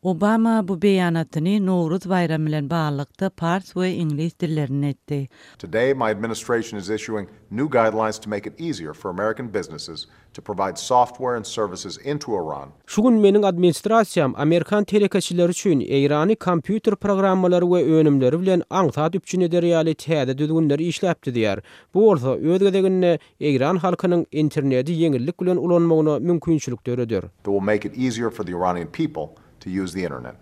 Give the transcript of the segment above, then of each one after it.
Obama bu beýanatyny Nowruz bayramy bilen baglanykda fars we ingliz dillerini etdi. Today, my administration is issuing new guidelines to make it easier for American businesses to provide software and services into Iran. Şu gün meniň administrasiýam Amerikan telekeçileri üçin Eýrany kompýuter programmalary we önümleri bilen aňsat üpçün ederýäli täze düzgünleri işläpdi diýär. Bu bolsa öz gezeginde Eýran halkynyň interneti ýeňillik bilen ulanmagyna mümkinçilik berýär. That will make it easier for the Iranian people to use the internet.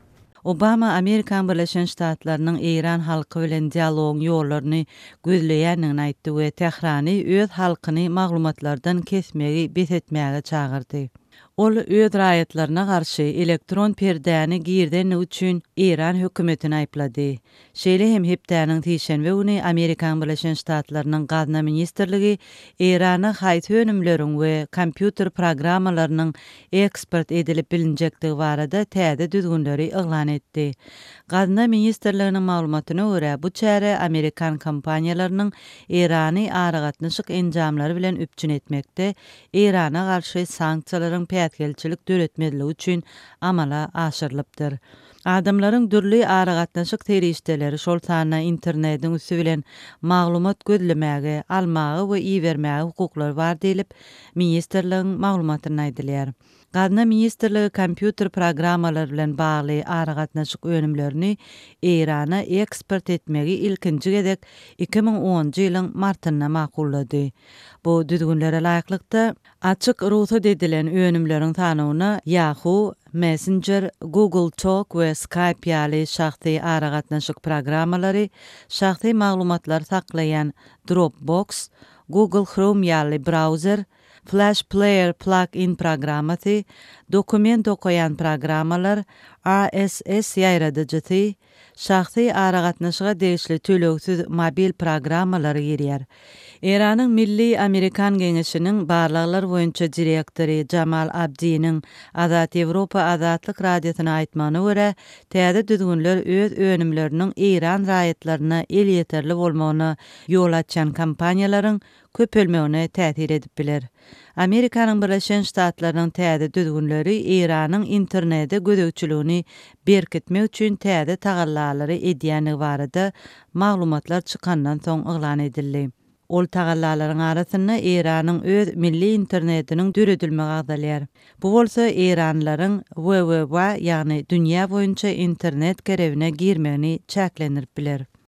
Obama Amerikan Birleşen Ştatlarynyň Eýran halky bilen dialogyň ýollaryny gözleýänini aýtdy we Tehrany öz halkyny maglumatlardan kesmegi betetmäge çagyrdy. Ol öz raýatlaryna garşy elektron perdäni girden üçin Eýran hökümetini aýplady. Şeýle hem hepdäniň tişenbe güni Amerikan Birleşen Ştatlarynyň Gazna ministrligi Eýrana haýt önümleriň we kompýuter programmalarynyň eksport edilip bilinjekligi barada täze düzgünleri eglan etdi. Gazna ministrliginiň maglumatyna görä, bu çäre Amerikan kompaniýalarynyň Eýrany aragatnaşyk enjamlary bilen üpçün etmekde, Eýrana garşy sanksiýalaryň pätgelçilik döretmediligi üçin amala aşyrylypdyr. Adamlaryň dürli aragatnaşyk terişdeleri şol sanyna internetiň üstü bilen maglumat gözlemäge, almagy we iýermäge hukuklary bar diýilip, ministrligiň maglumatyny aýdylýar. Gazna ministrligi kompýuter programmalary bilen bagly aragatnaşyk önümlerini Eýrana eksport etmegi ilkinji gezek 2010-njy ýylyň martyna makullady. Bu düzgünlere laýyklykda açyk ruhsat edilen önümleriň tanywyna Yahoo, Messenger, Google Talk we Skype ýaly şahsy aragatnaşyk programmalary, şahsy maglumatlar saklayan Dropbox, Google Chrome ýaly browser, Flash Player plug-in programmaty, dokument okuyan programmalar, RSS ýaýradyjy, şahsy aragatnaşyga degişli töleksiz mobil programmalary girýär. Eýranyň Milli Amerikan Geňeşiniň barlyklar boýunça direktori Jamal Abdiniň Azat Ýewropa Azatlyk radiosyna aýtmagyna görä, täze düzgünler öz önümleriniň Eýran raýatlaryna el ýeterli bolmagyna ýol açan kampaniýalaryň köpelmegine täsir edip biler. Amerikanyň Birleşen Ştatlarynyň täze düzgünleri Eýranyň internete gödökçiligini berkitmek üçin täze tagallalary edýäni barada maglumatlar çykandan soň eglan edildi. Ol tagallalaryň arasynda Eýranyň öz milli internetiniň düredilmegi agdalýar. Bu bolsa Eýranlaryň www ýagny dünýä boýunça internet gerewine girmegini çäklendirip biler.